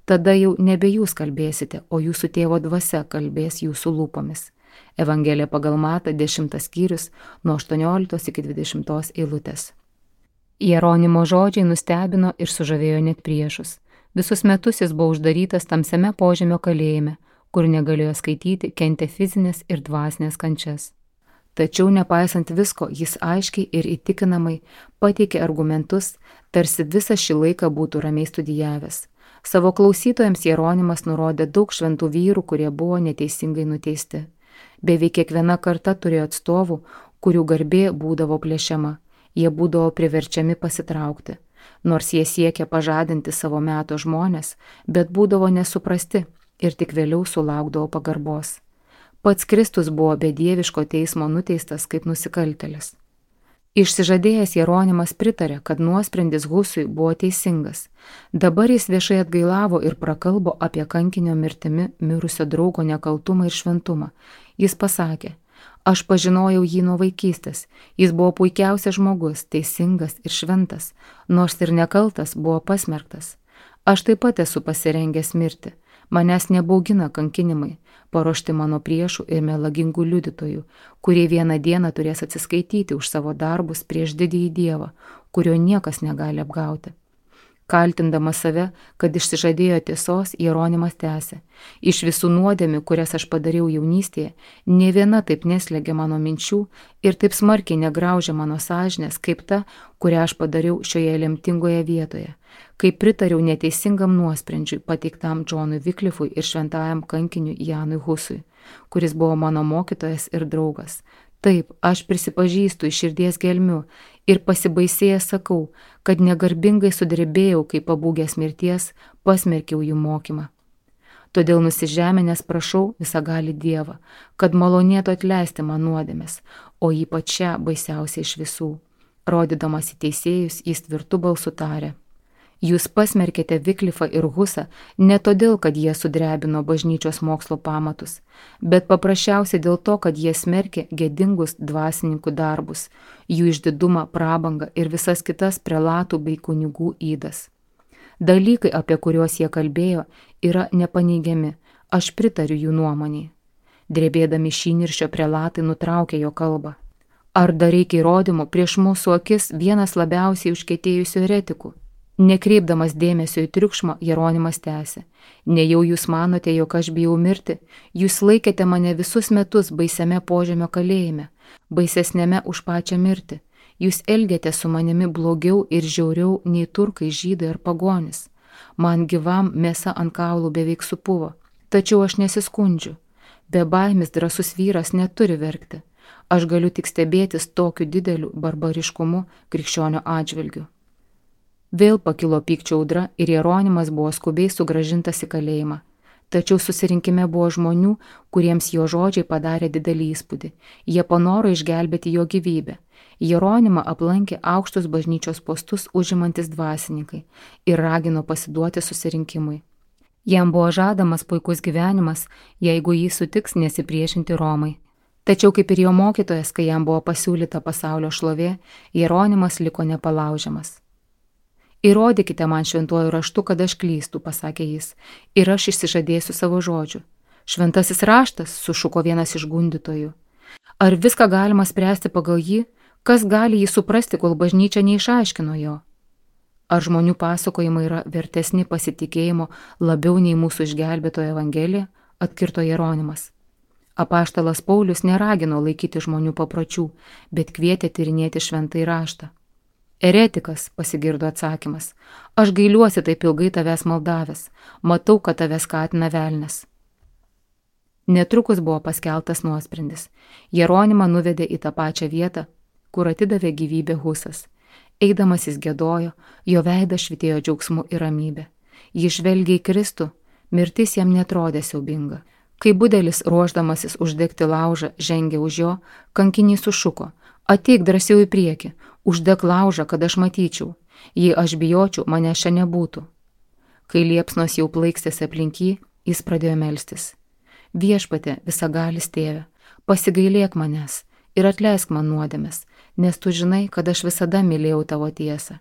Tada jau nebe jūs kalbėsite, o jūsų tėvo dvasia kalbės jūsų lūpomis. Evangelija pagal Matą, dešimtas skyrius, nuo aštuonioliktos iki dvidešimtos eilutės. Jeronimo žodžiai nustebino ir sužavėjo net priešus. Visus metus jis buvo uždarytas tamsiame požemio kalėjime, kur negalėjo skaityti, kentė fizinės ir dvasinės kančias. Tačiau nepaisant visko, jis aiškiai ir įtikinamai pateikė argumentus, tarsi visą šį laiką būtų ramiai studijavęs. Savo klausytojams Jeronimas nurodė daug šventų vyrų, kurie buvo neteisingai nuteisti. Beveik kiekviena karta turėjo atstovų, kurių garbė būdavo plėšiama. Jie būdavo priverčiami pasitraukti. Nors jie siekė pažadinti savo meto žmonės, bet būdavo nesuprasti ir tik vėliau sulaukdavo pagarbos. Pats Kristus buvo be dieviško teismo nuteistas kaip nusikaltėlis. Išsižadėjęs Jeronimas pritarė, kad nuosprendis Husui buvo teisingas. Dabar jis viešai atgailavo ir prakalbo apie kankinio mirtimi mirusio draugo nekaltumą ir šventumą. Jis pasakė, aš pažinojau jį nuo vaikystės, jis buvo puikiausias žmogus, teisingas ir šventas, nors ir nekaltas buvo pasmerktas. Aš taip pat esu pasirengęs mirti. Manęs nebaugina kankinimai, paruošti mano priešų ir melagingų liudytojų, kurie vieną dieną turės atsiskaityti už savo darbus prieš didįjį Dievą, kurio niekas negali apgauti. Kaltindamas save, kad išsižadėjo tiesos, Jeronimas tęsė, iš visų nuodėmių, kurias aš padariau jaunystėje, nė viena taip neslėgė mano minčių ir taip smarkiai negraužė mano sąžinės, kaip ta, kurią aš padariau šioje lemtingoje vietoje, kai pritariau neteisingam nuosprendžiui pateiktam Džonui Viklifui ir šventajam kankiniui Janui Husui, kuris buvo mano mokytojas ir draugas. Taip, aš prisipažįstu iš širdies gelmių ir pasibaisėjęs sakau, kad negarbingai sudrebėjau, kai pabūgęs mirties, pasmerkiau jų mokymą. Todėl nusižeminęs prašau visagalį Dievą, kad malonėtų atleisti man nuodėmes, o ypač šią baisiausią iš visų. Rodydamas į teisėjus, jis tvirtu balsu tarė: Jūs pasmerkėte Viklifą ir Husą ne todėl, kad jie sudrebino bažnyčios mokslo pamatus, bet paprasčiausiai dėl to, kad jie smerkė gėdingus dvasininkų darbus, jų išdidumą, prabangą ir visas kitas prelatų bei kunigų ydas. Dalykai, apie kuriuos jie kalbėjo, yra nepaneigiami, aš pritariu jų nuomonei. Drebėdami šįniršio prelatai nutraukė jo kalbą. Ar dar reikia įrodymų prieš mūsų akis vienas labiausiai užkietėjusių eretikų? Nekreipdamas dėmesio į triukšmą, Jeronimas tęsė: Nejau jūs manote, jog aš bijau mirti, jūs laikėte mane visus metus baisiame požemio kalėjime, baisesnėme už pačią mirtį. Jūs elgėte su manimi blogiau ir žiauriau nei turkai, žydai ar pagonis. Man gyvam mėsa ant kaulų beveik supuvo, tačiau aš nesiskundžiu. Be baimis drąsus vyras neturi verkti. Aš galiu tik stebėtis tokiu dideliu barbariškumu krikščionio atžvilgiu. Vėl pakilo pykčio audra ir Jeronimas buvo skubiai sugrąžintas į kalėjimą. Tačiau susirinkime buvo žmonių, kuriems jo žodžiai padarė didelį įspūdį. Jie panoro išgelbėti jo gyvybę. Jeronimą aplankė aukštus bažnyčios postus užimantis dvasininkai ir ragino pasiduoti susirinkimui. Jam buvo žadamas puikus gyvenimas, jeigu jį sutiks nesipriešinti Romai. Tačiau kaip ir jo mokytojas, kai jam buvo pasiūlyta pasaulio šlovė, Jeronimas liko nepalaužiamas. Įrodykite man šventuoju raštu, kad aš klystu, pasakė jis, ir aš išsižadėsiu savo žodžių. Šventasis raštas, sušuko vienas iš gundytojų. Ar viską galima spręsti pagal jį? Kas gali jį suprasti, kol bažnyčia neišaiškino jo? Ar žmonių pasakojimai yra vertesni pasitikėjimo labiau nei mūsų išgelbėtojo Evangelija? Atkirto Jeronimas. Apaštalas Paulius neragino laikyti žmonių papročių, bet kvietė tyrinėti šventąjį raštą. Eretikas, pasigirdo atsakymas, aš gailiuosi taip ilgai tavęs maldavęs, matau, kad tavęs skatina velnias. Netrukus buvo paskeltas nuosprendis. Jeronimą nuvedė į tą pačią vietą, kur atidavė gyvybę Husas. Eidamas jis giedojo, jo veidas švytėjo džiaugsmu ir ramybė. Jis žvelgė į Kristų, mirtis jam netrodė siaubinga. Kai budelis, ruošdamasis uždegti laužą, žengė už jo, kankinys sušuko: Ateik drąsiau į priekį, uždek laužą, kad aš matyčiau. Jei aš bijočiau, mane čia nebūtų. Kai liepsnos jau plaikstėsi aplink jį, jis pradėjo melstis. Viešpatie, visagalis tėve, pasigailėk manęs ir atleisk man nuodėmes, nes tu žinai, kad aš visada mylėjau tavo tiesą.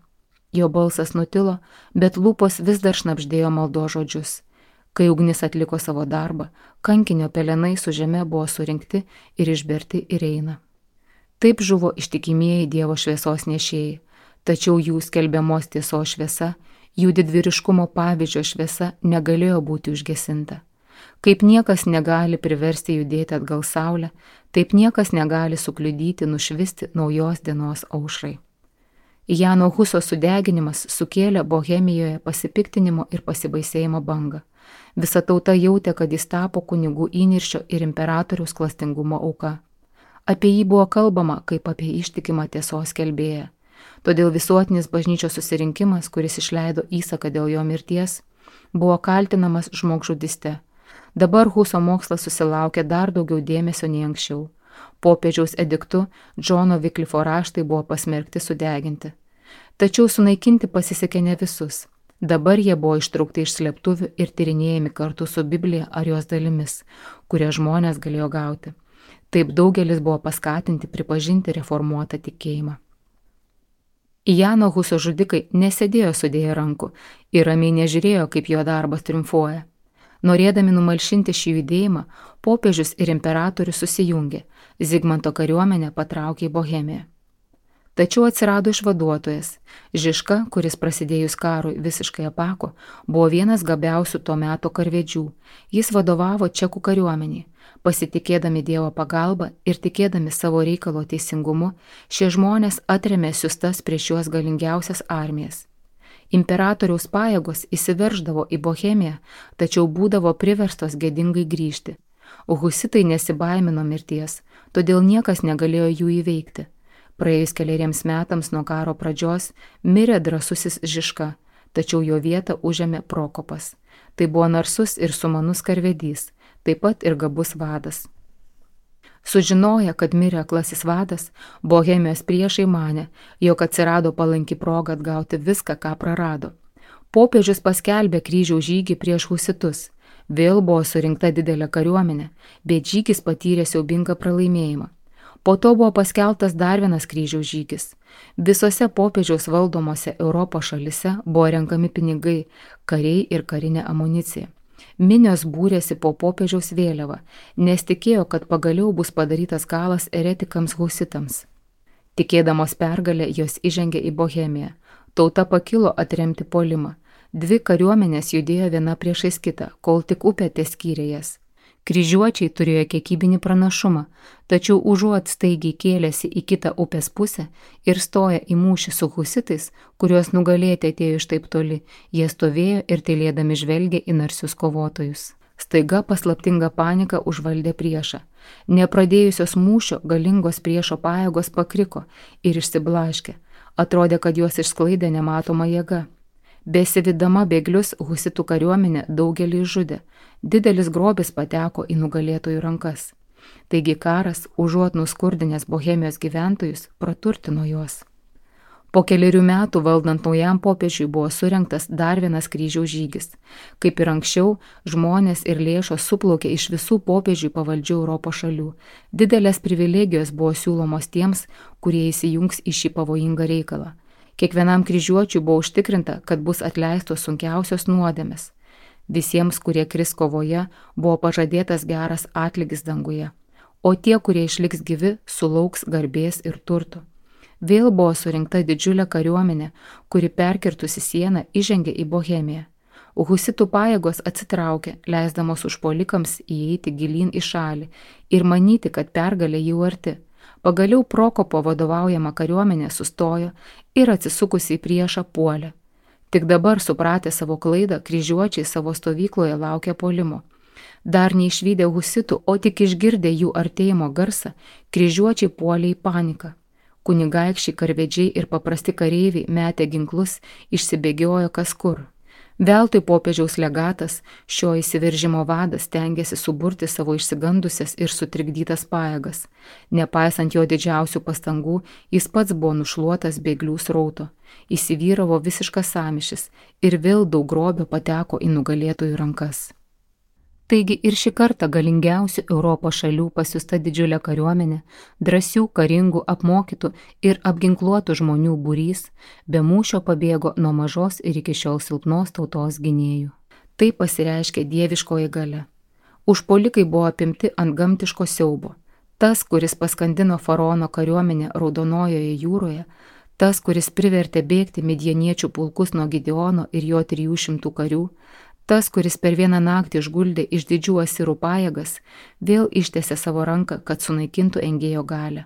Jo balsas nutilo, bet lūpos vis dar šnabždėjo maldos žodžius. Kai ugnis atliko savo darbą, kankinio pelenai su žeme buvo surinkti ir išberti į Reiną. Taip žuvo ištikimieji Dievo šviesos nešėjai, tačiau jų skelbiamos tiesos šviesa, jų didvyriškumo pavyzdžio šviesa negalėjo būti užgesinta. Kaip niekas negali priversti judėti atgal saulę, taip niekas negali sukliudyti nušvisti naujos dienos aušrai. Jano Huso sudeginimas sukėlė Bohemijoje pasipiktinimo ir pasibaisėjimo bangą. Visa tauta jautė, kad jis tapo kunigų įniršio ir imperatoriaus klastingumo auka. Apie jį buvo kalbama kaip apie ištikimą tiesos skelbėją. Todėl visuotinis bažnyčios susirinkimas, kuris išleido įsaką dėl jo mirties, buvo kaltinamas žmogžudyste. Dabar Huso mokslas susilaukė dar daugiau dėmesio nei anksčiau. Popiežiaus ediktu Džono Viklifo raštai buvo pasmerkti sudeginti. Tačiau sunaikinti pasisekė ne visus. Dabar jie buvo ištraukti iš slėptuvių ir tyrinėjami kartu su Biblija ar jos dalimis, kurie žmonės galėjo gauti. Taip daugelis buvo paskatinti pripažinti reformuotą tikėjimą. Jano Huso žudikai nesėdėjo sudėję rankų ir ramiai nežiūrėjo, kaip jo darbas triumfuoja. Norėdami numalšinti šį judėjimą, popiežius ir imperatorius susijungė, Zigmanto kariuomenė patraukė į Bohemiją. Tačiau atsirado išvaduotojas. Žižka, kuris prasidėjus karui visiškai apako, buvo vienas gabiausių to meto karvedžių. Jis vadovavo čekų kariuomeniai. Pasitikėdami Dievo pagalbą ir tikėdami savo reikalo teisingumu, šie žmonės atrėmė siustas prieš juos galingiausias armijas. Imperatoriaus pajėgos įsiverždavo į Bohemiją, tačiau būdavo priverstos gėdingai grįžti. Husitai nesibaimino mirties, todėl niekas negalėjo jų įveikti. Praėjus keleriems metams nuo karo pradžios mirė drąsusis Žižka, tačiau jo vietą užėmė Prokopas. Tai buvo narsus ir sumanus karvedys, taip pat ir gabus vadas. Sužinoję, kad mirė aklasis vadas, Bohemijos priešai manė, jog atsirado palanki proga atgauti viską, ką prarado. Popiežius paskelbė kryžiaus žygį prieš husitus. Vėl buvo surinkta didelė kariuomenė, bet žygis patyrė siaubingą pralaimėjimą. Po to buvo paskelbtas dar vienas kryžiaus žygis. Visose popiežiaus valdomose Europos šalise buvo renkami pinigai, kariai ir karinė amunicija. Minios būrėsi po popiežiaus vėliavą, nes tikėjo, kad pagaliau bus padarytas galas eretikams husitams. Tikėdamos pergalę, jos įžengė į Bohemiją. Tauta pakilo atremti puolimą. Dvi kariuomenės judėjo viena priešais kitą, kol tik upė teskyrė jas. Kryžiuočiai turėjo kiekybinį pranašumą, tačiau užuot staigiai kėlėsi į kitą upės pusę ir stoja į mūšį su husitais, kuriuos nugalėti atėjo iš taip toli, jie stovėjo ir tylėdami žvelgė į narsius kovotojus. Staiga paslaptinga panika užvaldė priešą. Nepradėjusios mūšio galingos priešo pajėgos pakriko ir išsiblaškė. Atrodė, kad juos išsklaidė nematoma jėga. Besivydama bėglius, husitų kariuomenė daugelį žudė. Didelis grobis pateko į nugalėtojų rankas. Taigi karas, užuot nuskurdinęs Bohemijos gyventojus, praturtino juos. Po keliarių metų valdant naujam popiežiui buvo surengtas dar vienas kryžiaus žygis. Kaip ir anksčiau, žmonės ir lėšos suplaukė iš visų popiežiui pavaldžių Europos šalių. Didelės privilegijos buvo siūlomos tiems, kurie įsijungs į šį pavojingą reikalą. Kiekvienam kryžiuočiui buvo užtikrinta, kad bus atleistos sunkiausios nuodėmės. Visiems, kurie kris kovoje, buvo pažadėtas geras atlygis danguje, o tie, kurie išliks gyvi, sulauks garbės ir turto. Vėl buvo surinkta didžiulė kariuomenė, kuri perkirtusi sieną įžengė į Bohemiją. Husitų pajėgos atsitraukė, leisdamos užpuolikams įeiti gilyn į šalį ir manyti, kad pergalė jau arti. Pagaliau Prokopo vadovaujama kariuomenė sustojo ir atsisukusi į priešą puolė. Tik dabar supratę savo klaidą, kryžiuočiai savo stovykloje laukė puolimo. Dar neišvydę husitų, o tik išgirdę jų artėjimo garsą, kryžiuočiai puolė į paniką. Kunigaikščiai, karvedžiai ir paprasti kareiviai metė ginklus, išsibėgiojo kas kur. Veltui popiežiaus legatas, šio įsiveržimo vadas, stengiasi suburti savo išsigandusias ir sutrikdytas pajėgas. Nepaisant jo didžiausių pastangų, jis pats buvo nušluotas bėglių srauto. Įsivyravo visiškas sąmyšis ir vėl daug grobio pateko į nugalėtojų rankas. Taigi ir šį kartą galingiausių Europos šalių pasiųsta didžiulė kariuomenė, drąsių, karingų, apmokytų ir apginkluotų žmonių būrys, be mūšio pabėgo nuo mažos ir iki šiol silpnos tautos gynėjų. Tai pasireiškė dieviškoji galia. Užpuolikai buvo apimti ant gamtiško siaubo. Tas, kuris paskandino faraono kariuomenę Raudonojoje jūroje, tas, kuris privertė bėgti midjaniečių pulkus nuo Gideono ir jo trijų šimtų karių, tas, kuris per vieną naktį išguldė iš didžių asirų pajėgas, vėl ištiesė savo ranką, kad sunaikintų engėjo galią.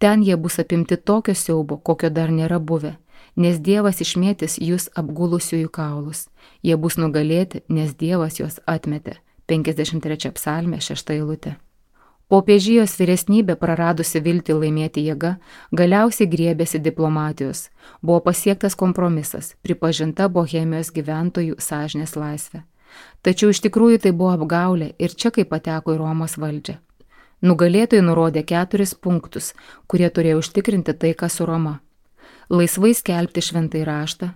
Ten jie bus apimti tokio siaubo, kokio dar nėra buvę, nes Dievas išmėtys jūs apgulusiųjų kaulus. Jie bus nugalėti, nes Dievas juos atmetė. penkiasdešimt trečia psalmė, šešta eilutė. Popiežijos vyresnybė, praradusi viltį laimėti jėga, galiausiai griebėsi diplomatijos. Buvo pasiektas kompromisas, pripažinta Bohemijos gyventojų sąžinės laisvė. Tačiau iš tikrųjų tai buvo apgaulė ir čia kaip pateko į Romos valdžią. Nugalėtojai nurodė keturis punktus, kurie turėjo užtikrinti taiką su Roma. Laisvai skelbti šventąjį raštą,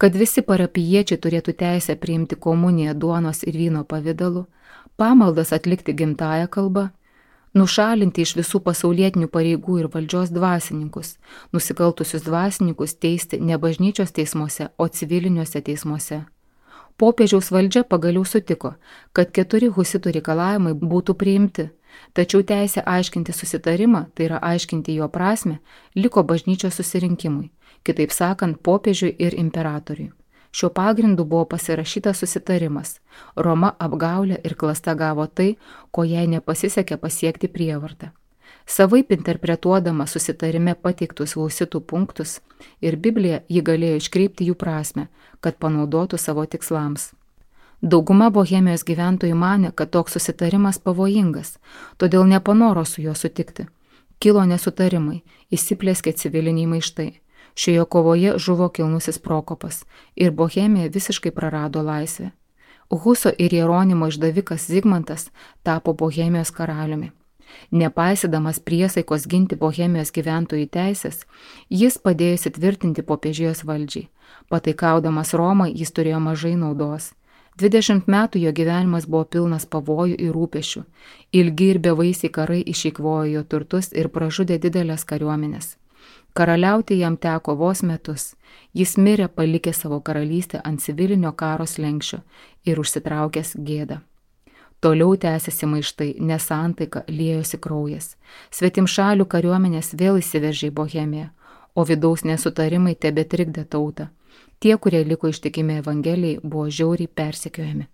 kad visi parapijiečiai turėtų teisę priimti komuniją duonos ir vyno pavidalu, pamaldas atlikti gimtąją kalbą, nušalinti iš visų pasaulietinių pareigų ir valdžios dvasininkus, nusikaltusius dvasininkus teisti ne bažnyčios teismuose, o civiliniuose teismuose. Popiežiaus valdžia pagaliau sutiko, kad keturi husitų reikalavimai būtų priimti, tačiau teisė aiškinti susitarimą, tai yra aiškinti jo prasmę, liko bažnyčios susirinkimui, kitaip sakant, popiežiui ir imperatoriui. Šiuo pagrindu buvo pasirašytas susitarimas. Roma apgaulė ir klasta gavo tai, ko jai nepasisekė pasiekti prievartą. Savaip interpretuodama susitarime pateiktus husitų punktus ir Bibliją ji galėjo iškreipti jų prasmę, kad panaudotų savo tikslams. Dauguma Bohemijos gyventojų manė, kad toks susitarimas pavojingas, todėl nepanoro su juo sutikti. Kilo nesutarimai, įsiplėskė civiliniai maištai. Šioje kovoje žuvo kilnusis Prokopas ir Bohemija visiškai prarado laisvę. Huso ir Jeronimo išdavikas Zigmantas tapo Bohemijos karaliumi. Nepaisydamas priesaikos ginti Bohemijos gyventojų teisės, jis padėjo įsitvirtinti popiežijos valdžiai. Pataikaudamas Romai jis turėjo mažai naudos. dvidešimt metų jo gyvenimas buvo pilnas pavojų ir rūpešių. Ilgi ir bevaisiai karai išeikvojo jo turtus ir pražudė didelės kariuomenės. Karaliauti jam teko vos metus. Jis mirė palikė savo karalystę ant civilinio karo slenksčio ir užsitraukęs gėdą. Toliau tęsėsi maištai, nesantaika, liejosi kraujas. Svetimšalių kariuomenės vėl įsiveržė į Bohemiją, o vidaus nesutarimai tebetrikdė tautą. Tie, kurie liko ištikimi Evangelijai, buvo žiauriai persekiojami.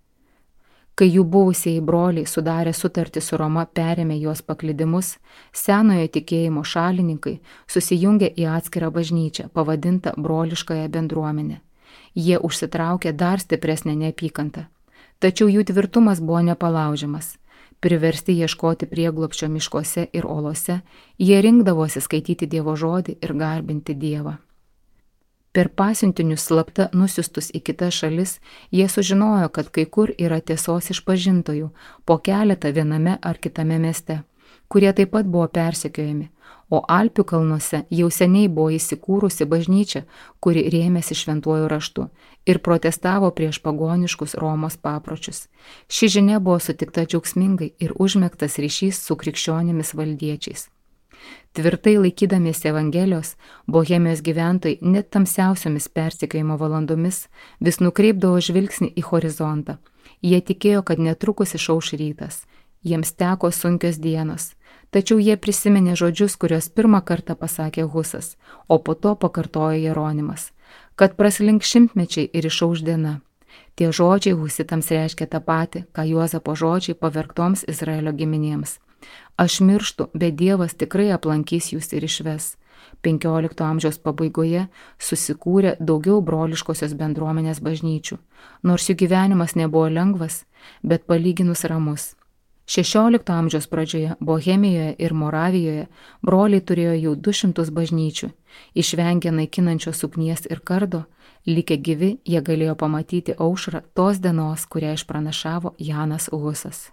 Kai jų buvusieji broliai sudarė sutartį su Roma, perėmė juos paklydimus, senojo tikėjimo šalininkai susijungė į atskirą bažnyčią, pavadintą broliškąją bendruomenę. Jie užsitraukė dar stipresnę neapykantą. Tačiau jų tvirtumas buvo nepalaužiamas. Priversti ieškoti prieglobsčio miškuose ir olose, jie rinkdavosi skaityti Dievo žodį ir garbinti Dievą. Per pasiuntinius slapta nusiustus į kitas šalis, jie sužinojo, kad kai kur yra tiesos išpažintojų, po keletą viename ar kitame mieste, kurie taip pat buvo persekiojami, o Alpių kalnuose jau seniai buvo įsikūrusi bažnyčia, kuri rėmėsi šventuoju raštu ir protestavo prieš pagoniškus Romos papročius. Ši žinia buvo sutikta džiaugsmingai ir užmegztas ryšys su krikščionimis valdiečiais. Tvirtai laikydamiesi Evangelijos, Bohemijos gyventojai net tamsiausiomis persekiojimo valandomis vis nukreipdavo žvilgsnį į horizontą. Jie tikėjo, kad netrukus išauš rytas. Jiems teko sunkios dienos, tačiau jie prisiminė žodžius, kuriuos pirmą kartą pasakė Husas, o po to pakartojo Jeronimas, kad praslink šimtmečiai ir išauš diena. Tie žodžiai husitams reiškia tą patį, ką Juozapo žodžiai pavergtoms Izraelio giminėms. Aš mirštu, bet Dievas tikrai aplankys jūs ir išves. penkiolikto amžiaus pabaigoje susikūrė daugiau broliškosios bendruomenės bažnyčių, nors jų gyvenimas nebuvo lengvas, bet palyginus ramus. šešiolikto amžiaus pradžioje Bohemijoje ir Moravijoje broliai turėjo jau du šimtus bažnyčių. Išvengę naikinančios ugnies ir kardo, likę gyvi, jie galėjo pamatyti aušrą tos dienos, kurią išpranašavo Janas Husas.